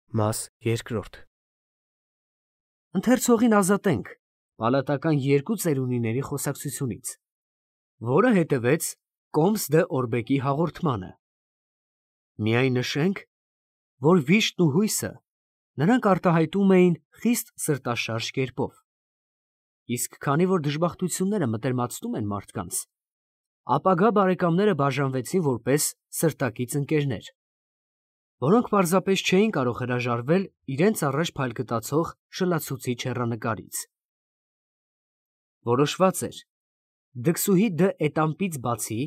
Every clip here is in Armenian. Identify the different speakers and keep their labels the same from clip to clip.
Speaker 1: Մաս երկրորդ
Speaker 2: Ընթերցողին ազատենք պալատական երկու ծերունիների խոսակցությունից, որը հետևեց Կոմս դե Օրբեկի հաղորդմանը։ Միայն նշենք, որ վիշտն ու հույսը նրանք արտահայտում էին խիստ սրտաշարժ կերպով, իսկ քանի որ դժբախտությունները մտերմացնում են մարդկանց, ապագա բարեկամները բաժանվեցին որպես սրտակից ընկերներ, որոնք պարզապես չէին կարող հրաժարվել իրենց առաջ փայլկտացող շլացուցիչ հեռանկարից։ Որոշված էր դքսուհի դը Էտամպից բացի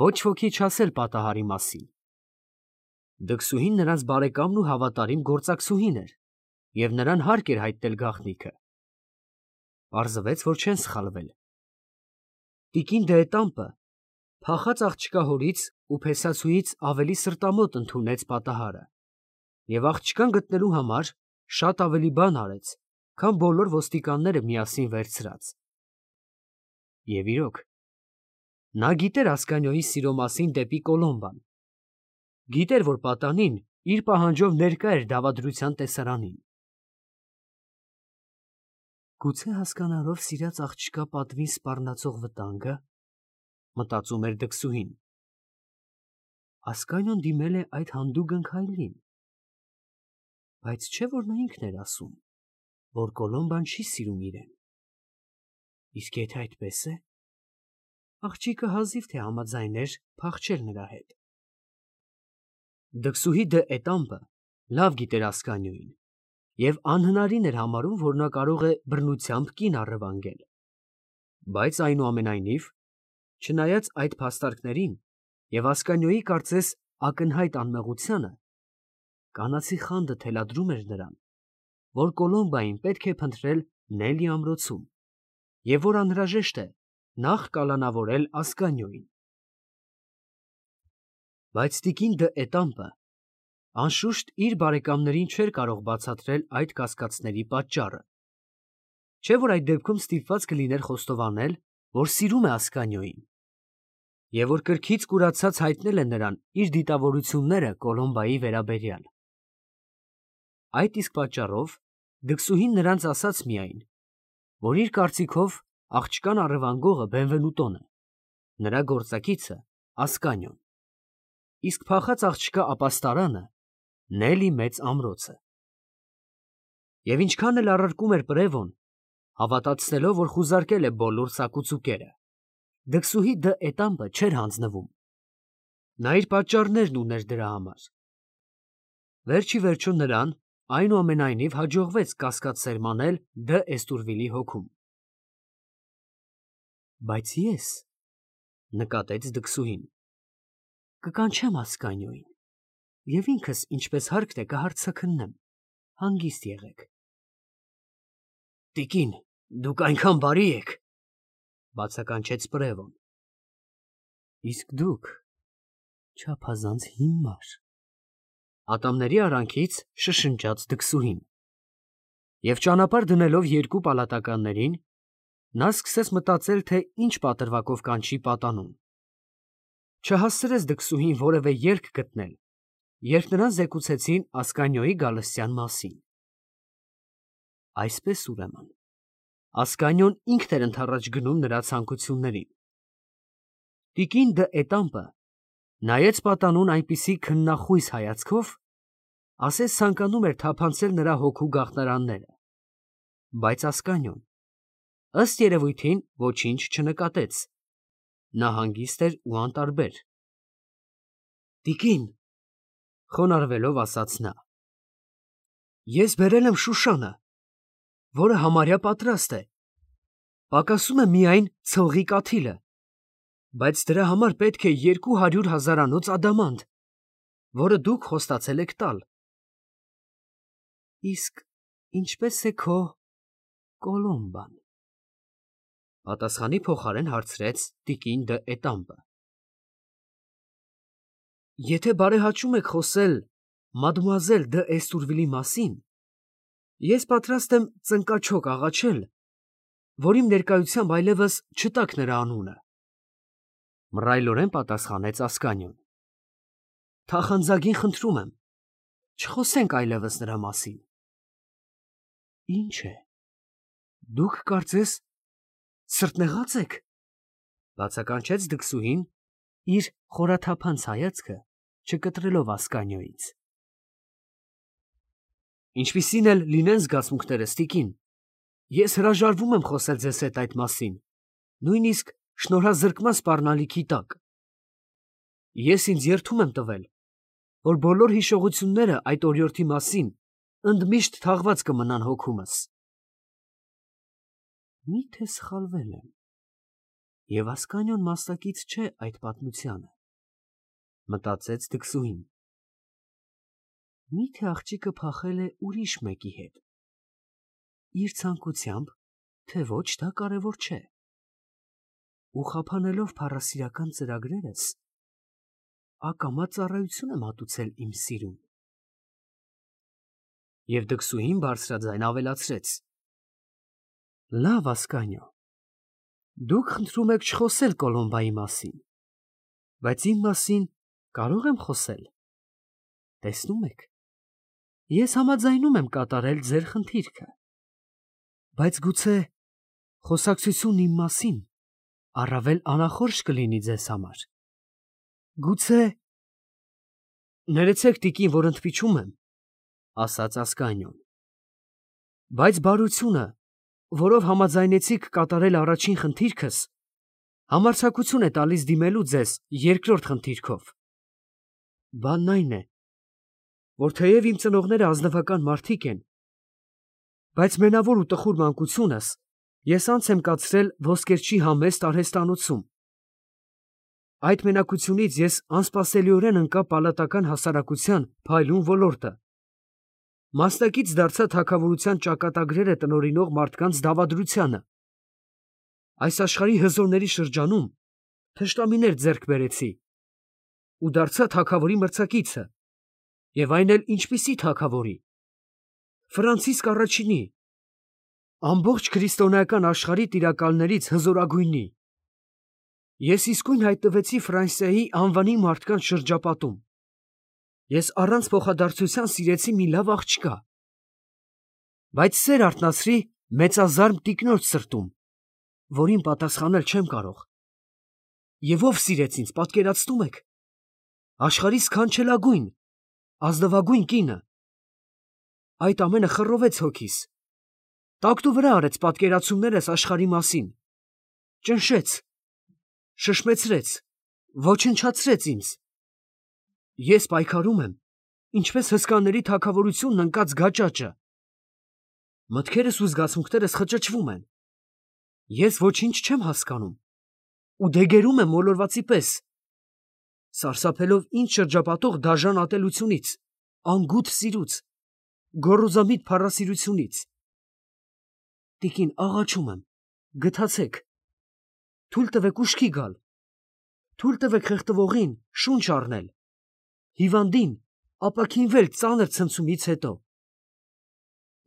Speaker 2: ոչ ոքի չասել պատահարի մասին։ Դքսուհին նրանց բարեկամն ու հավատարիմ գործակցուհին էր, և նրան հարկ էր հայտնել գաղտնիքը։ Պարզվեց, որ չեն սխալվել։ Տիկին դը Էտամպը փախած աղջկա հորից ու փեսացուից ավելի սրտամոտ ընդունեց պատահարը և աղջկան գտնելու համար շատ ավելի բան արեց, քան բոլոր ոստիկանները միասին վերցրած։ Եվ իրոք, նա գիտեր Ասկանիոյի սիրո մասին դեպի Կոլոմբան, գիտեր, որ պատանին իր պահանջով ներկա էր դավադրության տեսարանին։ Գուցե հասկանալով սիրած աղջկա պատվին սպառնացող վտանգը, մտածում էր դքսուհին, Ասկանիոն դիմել է այդ հանդուգն քայլին, բայց չէ՞ որ նա ինքն էր ասում, որ Կոլոմբան չի սիրում իրեն։ Իսկ եթե այդպես է, աղջիկը հազիվ թե համաձայներ փախչել նրա հետ։ Դքսուհի դը Էտամպը լավ գիտեր Ասկանիոյին և անհնարին էր համարում, որ նա կարող է բռնությամբ կին առևանգել։ Բայց այնուամենայնիվ, չնայած այդ փաստարկներին և Ասկանիոյի կարծես ակնհայտ անմեղությանը, կանացի խանդը թելադրում էր նրան, որ Կոլոմբային պետք է փնտրել Նելի ամրոցում և որ անհրաժեշտ է նախ կալանավորել Ասկանիոյին։ Բայց տիկին դը Էտամպը անշուշտ իր բարեկամներին չէր կարող բացատրել այդ կասկածների պատճառը, չէ՞ որ այդ դեպքում ստիպված կլիներ խոստովանել, որ սիրում է Ասկանիոյին, և որ կրքից կուրացած հայտնել է նրան իր դիտավորությունները Կոլոմբայի վերաբերյալ։ Այդ իսկ պատճառով դքսուհին նրանց ասաց միայն, որ իր կարծիքով աղջկան առևանգողը Բենվենուտոն է, նրա գործակիցը Ասկանիոն, իսկ փախած աղջկա ապաստարանը Նելի մեծ ամրոցը։ Եվ ինչքան էլ առարկում էր Պրևոն, հավատացնելով, որ խուզարկել է բոլոր ծակուծուկերը, դքսուհի դը Էտամպը չէր հանձնվում։ Նա իր պատճառներն ուներ դրա համար։ Վերջիվերջո նրան այնուամենայնիվ հաջողվեց կասկած սերմանել դը Էստուրվիլի հոգում։ Բայց ես, նկատեց դքսուհին, կկանչեմ Ասկանիոյին և ինքս ինչպես հարկն է կհարձաքննեմ, հանգիստ եղեք։ Տիկին, դուք այնքան բարի եք, բացականչեց Պրևոն։ Իսկ դուք չափազանց հիմար, ատամների արանքից շշնջաց դքսուհին։ Եվ ճանապարհ դնելով երկու պալատականներին, նա սկսեց մտածել, թե ինչ պատրվակով կանչի պատանուն։ Չհասցրեց դքսուհին որևէ ելք գտնել, երբ նրան զեկուցեցին Ասկանիոյի գալստյան մասին։ Այսպես ուրեմն, Ասկանիոն ինքն էր ընդառաջ գնում նրա ցանկություններին։ Տիկին դը Էտամպը նայեց պատանուն այնպիսի քննախույս հայացքով, ասես ցանկանում էր թափանցել նրա հոգու գաղտնարանները, բայց Ասկանիոն, ըստ երևույթին, ոչինչ չնկատեց։ Նա հանգիստ էր ու անտարբեր։ Տիկին, խոնարհվելով ասաց նա, ես բերել եմ Շուշանը, որը համարյա պատրաստ է, պակասում է միայն ցողի կաթիլը, բայց դրա համար պետք է 200,000 ադամանդ, որը դուք խոստացել եք տալ։ Իսկ ինչպես է քո Կոլոմբան, պատասխանի փոխարեն հարցրեց տիկին դը Էտամպը։ Եթե բարեհաճում եք խոսել մադմուազել դը Էստուրվիլի մասին, ես պատրաստ եմ ծնկաչոք աղաչել, որ իմ ներկայությամբ այլևս չտաք նրա անունը, մռայլորեն պատասխանեց Ասկանիոն։ Թախանձագին խնդրում եմ, Չխոսենք այլևս նրա մասին։ Ինչ է։ Դուք կարծես սրտնեղած եք, բացականչեց դքսուհին, իր խորաթափանց հայացքը չկտրելով Ասկանյոյից։ Ինչպիսին էլ լինեն զգացմունքներս, տիկին, ես հրաժարվում եմ խոսել ձեզ հետ այդ մասին, նույնիսկ շնորհազրկման սպառնալիքի տակ։ Ես ինձ երդում եմ տվել, որ բոլոր հիշողությունները այդ օրիորդի մասին ընդմիշտ թաղված կմնան հոգումս։ Միթե սխալվել եմ, և Ասկանյոն մասնակից չէ այդ պատմությանը, մտածեց դքսուհին։ Միթե աղջիկը փախել է ուրիշ մեկի հետ։ Իր ցանկությամբ, թե ոչ, դա կարևոր չէ։ Ու խափանելով փառասիրական ծրագրերս, ակամա ծառայություն եմ հատուցել իմ սիրուն։ Եվ դքսուհին բարձրաձայն ավելացրեց. Լավ, Ասկանյո, դուք խնդրում եք չխոսել Կոլոմբայի մասին, բայց իմ մասին կարող եմ խոսել։ Տեսնում եք, ես համաձայնում եմ կատարել ձեր խնդիրքը, բայց գուցե խոսակցությունն իմ մասին առավել անախորժ կլինի ձեզ համար։ Գուցե… Ներեցեք, տիկին, որ ընդմիջում եմ, ասաց Ասկանյոն, բայց բարությունը, որով համաձայնեցիք կատարել առաջին խնդիրքս, համարձակություն է տալիս դիմելու ձեզ երկրորդ խնդիրքով։ Բանն այն է, որ թեև իմ ծնողները ազնվական մարդիկ են, բայց մենավոր ու տխուր մանկությունս ես անց եմ կացրել ոսկերչի համեստ արհեստանոցում։ Այդ մենակությունից ես անսպասելիորեն ընկա պալատական հասարակության փայլուն ոլորտը, մասնակից դարձա թագավորության ճակատագրերը տնօրինող մարդկանց դավադրությանը։ Այս աշխարհի հզորների շրջանում թշնամիներ ձեռք բերեցի ու դարձա թագավորի մրցակիցը, և այն էլ ինչպիսի թագավորի… Ֆրանցիսկ առաջինի, ամբողջ քրիստոնեական աշխարհի տիրակալներից հզորագույնի։ Ես իսկույն հայտնվեցի Ֆրանսիայի անվանի մարդկանց շրջապատում։ Ես առանց փոխադարձության սիրեցի մի լավ աղջկա, բայց սեր արթնացրի մեծազարմ տիկնոջ սրտում, որին պատասխանել չեմ կարող։ Եվ ով սիրեց ինձ, պատկերացնում եք, աշխարհի սքանչելագույն, ազնվագույն կինը։ Այդ ամենը խռովեց հոգիս, տակտուվրա արեց պատկերացումներս աշխարհի մասին, ճնշեց, շշմեցրեց, ոչնչացրեց ինձ։ Ես պայքարում եմ, ինչպես հսկաների թագավորությունն ընկած գաճաճը։ Մտքերս ու զգացմունքներս խճճվում են։ Ես ոչինչ չեմ հասկանում ու դեգերում եմ մոլորվածի պես, սարսափելով ինձ շրջապատող դաժան ատելությունից, անգութ սիրուց, գոռոզամիտ փառասիրությունից։ Տիկին, աղաչում եմ, գթացեք, թույլ տվեք ուշքի գալ, թույլ տվեք խեղդվողին շունչ առնել, հիվանդին ապաքինվել ծանր ցնցումից հետո։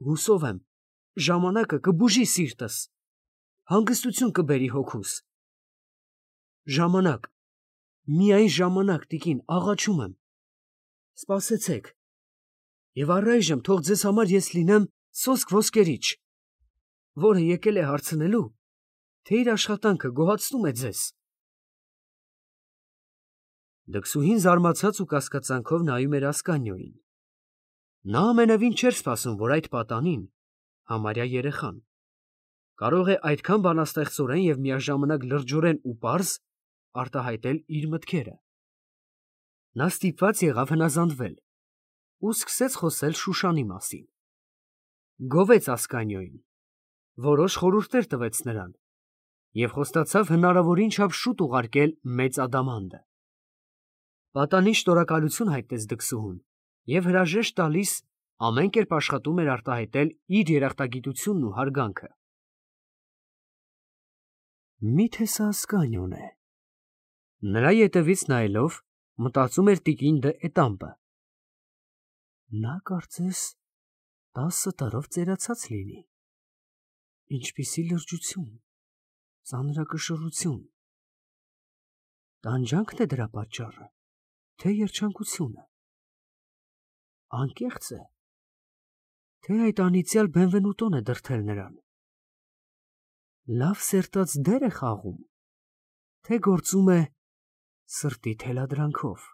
Speaker 2: Հուսով եմ, ժամանակը կբուժի սիրտս, հանգստություն կբերի հոգուս։ Ժամանակ, միայն ժամանակ, տիկին, աղաչում եմ, սպասեցեք, և առայժմ թող ձեզ համար ես լինեմ սոսկ ոսկերիչ, որը եկել է հարցնելու, թե իր աշխատանքը գոհացնում է ձեզ։ Դքսուհին զարմացած ու կասկածանքով նայում էր Ասկանյոյին։ Նա ամենևին չէր սպասում, որ այդ պատանին, համարյա երեխան, կարող է այդքան բանաստեղծորեն և միաժամանակ լրջորեն ու պարզ արտահայտել իր մտքերը։ Նա ստիպված եղավ հնազանդվել ու սկսեց խոսել Շուշանի մասին։ Գովեց Ասկանյոյին, որոշ խորհուրդներ տվեց նրան և խոստացավ հնարավորին չափ շուտ ուղարկել մեծ ադամանդը։ Պատանին շնորհակալություն հայտնեց դքսուհուն և հրաժեշտ տալիս ամեն կերպ աշխատում էր արտահայտել իր երախտագիտությունն ու հարգանքը։ Միթե սա Ասկանյոն է։ Նրա ետևից նայելով մտածում էր տիկին դը Էտամպը։ Նա կարծես 10 տարով ծերացած լինի։ Ինչպիսի լրջություն, ծանրակշռություն։ Տանջանքն է դրա պատճառը, թե երջանկությունը։ անկեղծ է, թե այդ անիծյալ Բենվենուտոն է դրդել նրան։ Լավ սերտած դեր է խաղում, թե գործում է սրտի թելադրանքով։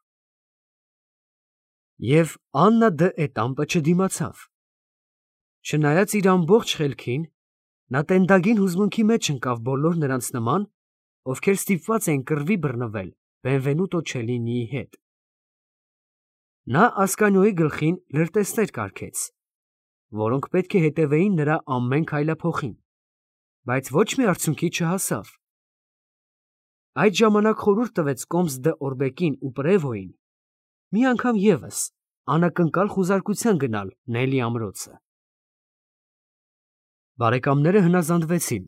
Speaker 2: Եվ Աննա դ'Էտամպը չդիմացավ։ Չնայած իր ամբողջ խելքին, նա տենդագին հուզմունքի մեջ ընկավ բոլոր նրանց նման, ովքեր ստիպված էին կռվի բռնվել Բենվենուտո Չելինիի հետ։ Նա Ասկանիոյի գլխին լրտեսներ կարգեց, որոնք պետք է հետևեին նրա ամեն քայլափոխին, բայց ոչ մի արդյունքի չհասավ։ Այդ ժամանակ խորհուրդ տվեց Կոմս դ'Օրբեկին ու Պրևոյին մի անգամ ևս անակնկալ խուզարկության գնալ Նելի ամրոցը։ Բարեկամները հնազանդվեցին,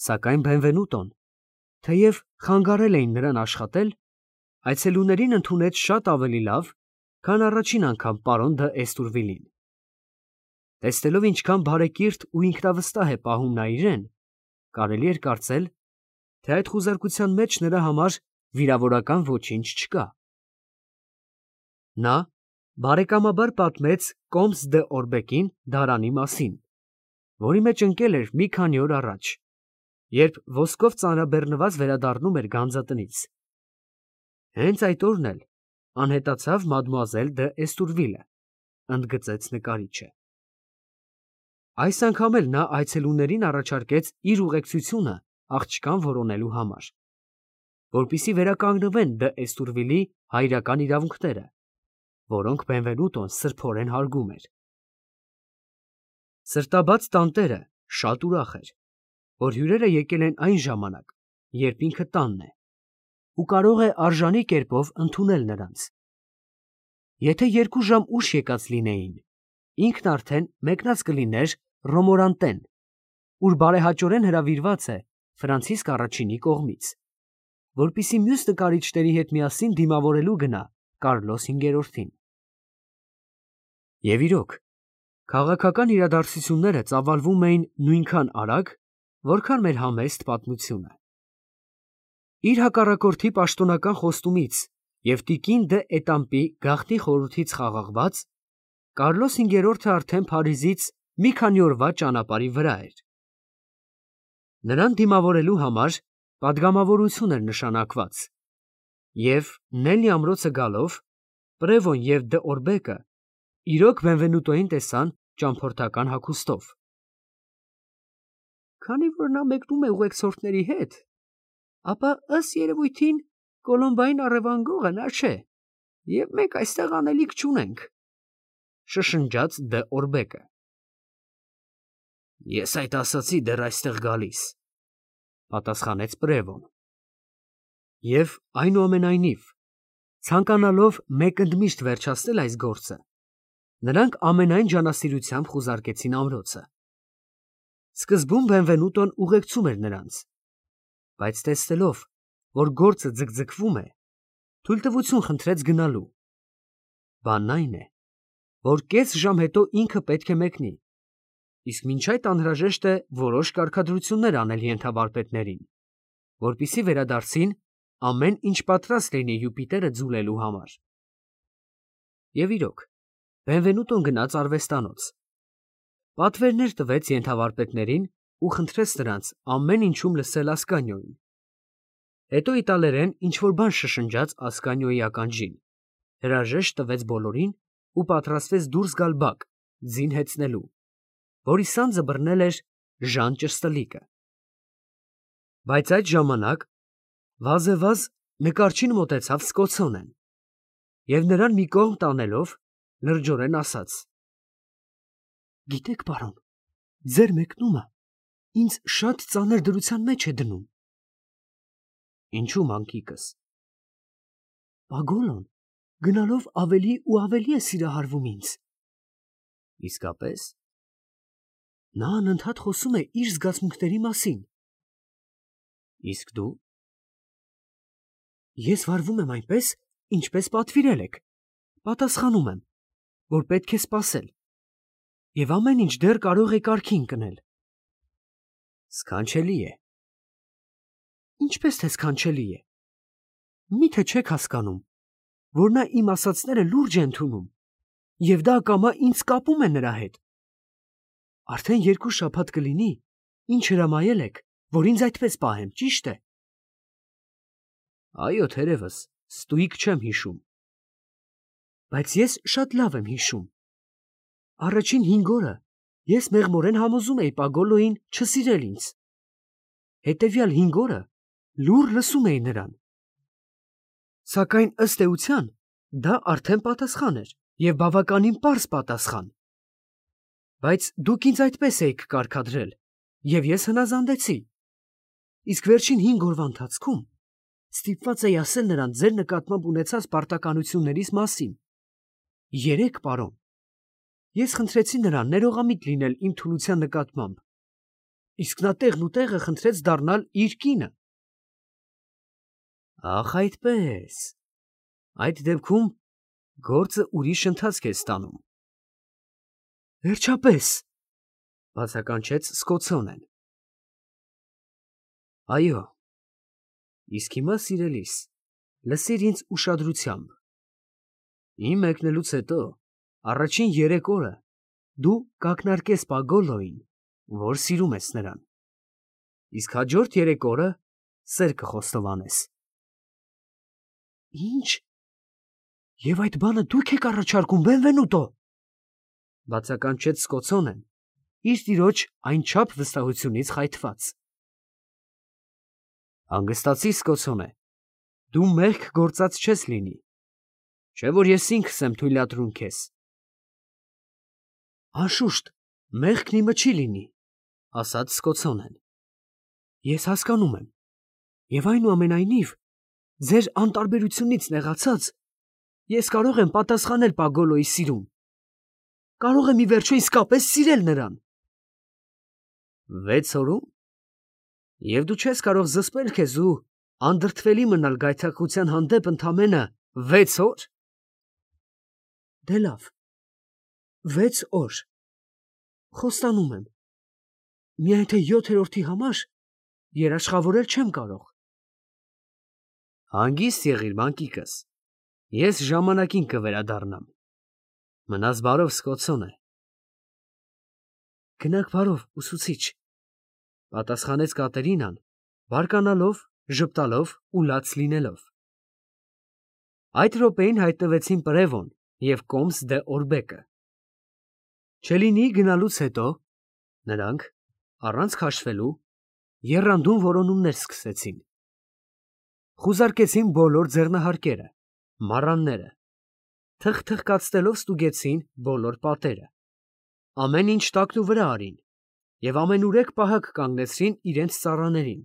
Speaker 2: սակայն Բենվենուտոն, թեև խանգարել էին նրան աշխատել, այցելուներին ընդունեց շատ ավելի լավ, քան առաջին անգամ պարոն դ'Էստուրվիլին։ Տեսնելով ինչքան բարեկիրթ ու ինքնավստահ է պահում նա իրեն, կարելի էր կարծել, թե այդ խուզարկության մեջ նրա համար վիրավորական ոչինչ չկա։ Նա բարեկամաբար պատմեց Կոմս դ'Օրբեկին դարանի մասին, որի մեջ ընկել էր մի քանի օր առաջ, երբ ոսկով ծանրաբեռնված վերադառնում էր գանձատնից։ Հենց այդ օրն էլ անհետացավ մադմուազել դ'Էստուրվիլը, ընդգծեց նկարիչը։ Այս անգամ էլ նա այցելուներին առաջարկեց իր ուղեկցությունը աղջկան որոնելու համար, որպեսզի վերականգնվեն դ'Էստուրվիլի հայրական իրավունքները, որոնք Բենվենուտոն սրբորեն հարգում էր։ Սրտաբաց տանտերը շատ ուրախ էր, որ հյուրերը եկել են այն ժամանակ, երբ ինքը տանն է, ու կարող է արժանի կերպով ընդունել նրանց։ Եթե 2 ժամ ուշ եկած լինեին, ինքն արդեն մեկնած կլիներ Ռոմորանտեն, ուր բարեհաճորեն հրավիրված է Ֆրանցիսկ առաջինի կողմից, որպեսզի մյուս նկարիչների հետ միասին դիմավորելու գնա Կարլոս 5-րդին։ Եվ իրոք, քաղաքական իրադարձությունները ծավալվում էին նույնքան արագ, որքան մեր համեստ պատմությունը։ Իր հակառակորդի պաշտոնական խոստումից և տիկին դ'Էտամպի գաղտնի խորհրդից խաղաղված, Կարլոս 5-րդը արդեն Փարիզից մի քանի օրվա ճանապարհի վրա էր։ Նրան դիմավորելու համար պատգամավորություն էր նշանակված, և Նելի ամրոցը գալով Պրևոն և դ'Օրբեկը իրոք Բենվենուտոյին տեսան ճամփորդական հագուստով։ Քանի որ նա մեկնում է ուղեկցորդների հետ, ապա ըստ երևույթին Կոլոմբային առևանգողը նա չէ, և մենք այստեղ անելիք չունենք, շշնջաց դ'Օրբեկը։ Ես այդ ասացի դեռ այստեղ գալիս, պատասխանեց Պրևոն։ Եվ այնուամենայնիվ, ցանկանալով մեկընդմիշտ վերջացնել այս գործը, նրանք ամենայն ջանասիրությամբ խուզարկեցին ամրոցը։ Սկզբում Բենվենուտոն ուղեկցում էր նրանց, բայց տեսնելով, որ գործը ձգձգվում է, թույլտվություն խնդրեց գնալու։ Բանն այն է, որ կես ժամ հետո ինքը պետք է մեկնի, իսկ մինչ այդ անհրաժեշտ է որոշ կարգադրություններ անել ենթավարպետներին, որպեսզի վերադարձին ամեն ինչ պատրաստ լինի Յուպիտերը ձուլելու համար։ Եվ իրոք, Բենվենուտոն գնաց արվեստանոց, պատվերներ տվեց ենթավարպետներին ու խնդրեց նրանց ամեն ինչում լսել Ասկանիոյին։ Հետո իտալերեն ինչ-որ բան շշնջաց Ասկանիոյի ականջին, հրաժեշտ տվեց բոլորին ու պատրաստվեց դուրս գալ բակ, ձին հեծնելու, որի սանձը բռնել էր Ժան Ճշտլիկը։ Բայց այդ ժամանակ վազեվազ նկարչին մոտեցավ Սկոցոնեն և նրան մի կողմ տանելով լրջորեն ասաց. «Գիտեք, պարոն, ձեր մեկնումը ինձ շատ ծանր դրության մեջ է դնում»։ Ինչու, մանկիկս։ Պագոլոն գնալով ավելի ու ավելի է սիրահարվում ինձ։ Իսկապես։ Նա անընդհատ խոսում է իր զգացմունքների մասին։ Իսկ դու։ Ես վարվում եմ այնպես, ինչպես պատվիրել եք, պատասխանում եմ, որ պետք է սպասել, և ամեն ինչ դեռ կարող է կարգին ընկնել։ Սքանչելի է։ Ինչպես թե սքանչելի է։ Մի՞թե չեք հասկանում, որ նա իմ ասածները լուրջ է ընդունում։ և դա ակամա ինձ կապում է նրա հետ։ Արդեն 2 շաբաթ կլինի, ինչ հրամայել եք, որ ինձ այդպես պահեմ, ճիշտ է։ Այո, թերևս, ստույգ չեմ հիշում։ Բայց ես շատ լավ եմ հիշում։ Առաջին 5 օրը ես մեղմորեն համոզում էի Պագոլոյին չսիրել ինձ։ Հետևյալ 5 օրը լուռ լսում էի նրան։ Սակայն ըստ էության դա արդեն պատասխան էր և բավականին պարզ պատասխան։ Բայց դուք ինձ այդպես էիք կարգադրել, և ես հնազանդեցի։ Իսկ վերջին 5 օրվա ընթացքում ստիպված էի ասել նրան ձեր նկատմամբ ունեցած պարտականություններիս մասին։ 3, պարոն։ Ես խնդրեցի նրան ներողամիտ լինել իմ թուլության նկատմամբ, իսկ նա տեղն ու տեղը խնդրեց դառնալ իր կինը։ Ախ, այդպես։ Այդ դեպքում գործը ուրիշ ընթացք է ստանում։ Վերջապես, բացականչեց Սկոցոնեն։ Այո, իսկ հիմա, սիրելիս, լսիր ինձ ուշադրությամբ։ Իմ մեկնելուց հետո առաջին 3 օրը դու կակնարկես Պագոլոյին, որ սիրում ես նրան, իսկ հաջորդ 3 օրը սեր կխոստովանես։ Ինչ։ Եվ այդ բանը դուք եք առաջարկում, Բենվենուտո, բացականչեց Սկոցոնեն, իր տիրոջ այնչափ վստահությունից խայթված։ Հանգստացի, Սկոցոնե, դու մեղք գործած չես լինի, չէ՞ որ ես ինքս եմ թույլատրում քեզ։ Անշուշտ, մեղքն իմը չի լինի, ասաց Սկոցոնեն։ Ես հասկանում եմ, և այնուամենայնիվ, ձեր անտարբերությունից նեղացած, ես կարող եմ պատասխանել Պագոլոյի սիրուն, կարող եմ ի վերջո իսկապես սիրել նրան։ 6 օրում։ Եվ դու չես կարող զսպել քեզ ու անդրդվելի մնալ գայթակղության հանդեպ ընդամենը 6 օր։ Դե լավ, 6 օր։ Խոստանում եմ, միայն թե 7-րդի համար երաշխավորել չեմ կարող։ Հանգիստ եղիր, մանկիկս, ես ժամանակին կվերադառնամ։ Մնաս բարով, Սկոցոնե։ Գնաք բարով, ուսուցիչ, պատասխանեց Կատերինան, բարկանալով, ժպտալով ու լաց լինելով։ Այդ րոպեին հայտնվեցին Պրևոն և Կոմս դե Օրբեկը։ Չելինիի գնալուց հետո նրանք, առանց քաշվելու, եռանդուն որոնումներ սկսեցին։ Խուզարկեցին բոլոր ձեռնահարկերը, մառանները, թխթխկացնելով ստուգեցին բոլոր պատերը, ամեն ինչ տակնուվրա արին և ամենուրեք պահակ կանգնեցրին իրենց ծառաներին,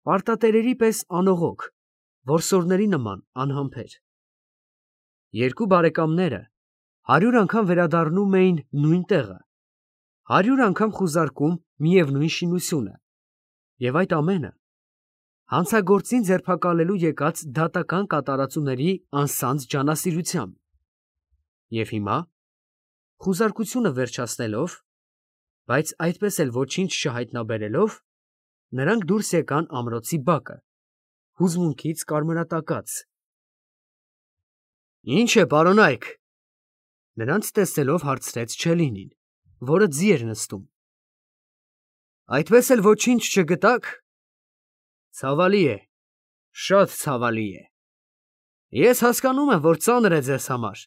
Speaker 2: պարտատերերի պես անողոք, որսորդների նման անհամբեր։ Երկու բարեկամները 100 անգամ վերադառնում էին նույն տեղը, 100 անգամ խուզարկում միևնույն շինությունը, և այդ ամենը հանցագործին ձերբակալելու եկած դատական կատարածուների անսանձ ջանասիրությամբ։ Եվ հիմա, խուզարկությունը վերջացնելով, բայց այդպես էլ ոչինչ չհայտնաբերելով, նրանք դուրս եկան ամրոցի բակը, հուզմունքից կարմրատակած։ Ի՞նչ է, պարոնայք, նրանց տեսնելով հարցրեց Չելինին, որը ձի էր նստում։ Այդպես էլ ոչինչ չգտաք։ Ցավալի է, շատ ցավալի է։ Ես հասկանում եմ, որ ծանր է ձեզ համար,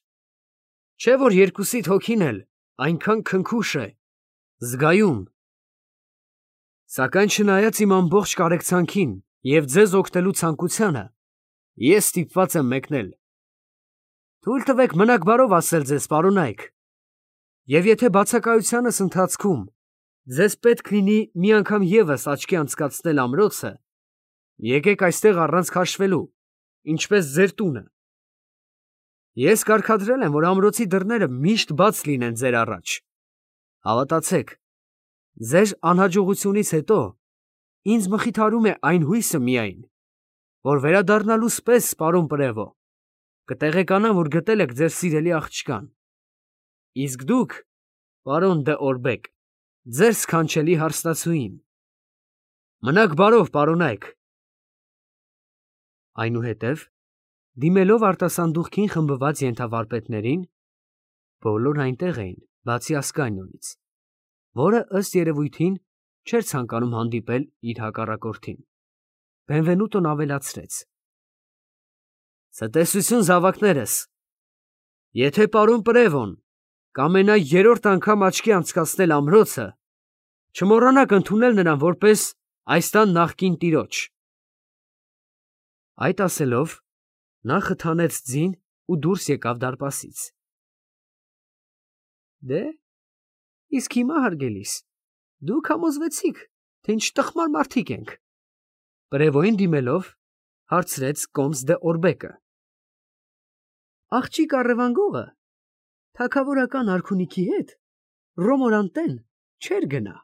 Speaker 2: չէ՞ որ երկուսիդ հոգին էլ այնքան քնքուշ է, զգայուն։ Սակայն չնայած իմ ամբողջ կարեկցանքին և ձեզ օգնելու ցանկությանը, ես ստիպված եմ մեկնել։ Թույլ տվեք մնաք բարով ասել ձեզ, պարոնայք, և եթե բացակայությանս ընթացքում ձեզ պետք լինի մի անգամ ևս աչքի անցկացնել ամրոցը, եկեք այստեղ առանց քաշվելու, ինչպես ձեր տունը։ Ես կարգադրել եմ, որ ամրոցի դռները միշտ բաց լինեն ձեր առաջ։ Հավատացեք, ձեր անհաջողությունից հետո ինձ մխիթարում է այն հույսը միայն, որ վերադառնալուս պես, պարոն Պրևո, կտեղեկանամ, որ գտել եք ձեր սիրելի աղջկան, իսկ դուք, պարոն դե Օրբեկ, ձեր սքանչելի հարսնացուին։ Մնաք բարով, պարոնայք։ Այնուհետև, դիմելով արտասանդուղքին խմբված ենթավարպետներին, Բոլորն այնտեղ էին, բացի Ասկանիոնից, որը ըստ երևույթին չէր ցանկանում հանդիպել իր հակառակորդին։ Բենվենուտոն ավելացրեց. «Ցտեսություն, զավակներս, եթե պարոն Պրևոն կամենա երրորդ անգամ աչքի անցկացնել ամրոցը, չմոռանաք ընդունել նրան որպես այս տան նախկին տիրոջ»։ Այդ ասելով, նա խթանեց ձին ու դուրս եկավ դարպասից։ Դե, իսկ հիմա, հարգելիս, դուք համոզվեցիք, թե ինչ տխմար մարդիկ ենք, Պրևոյին դիմելով, հարցրեց կոմս դե Օրբեկը։ Աղջիկ առևանգողը թագավորական արքունիքի հետ Ռոմորանտեն չէր գնա։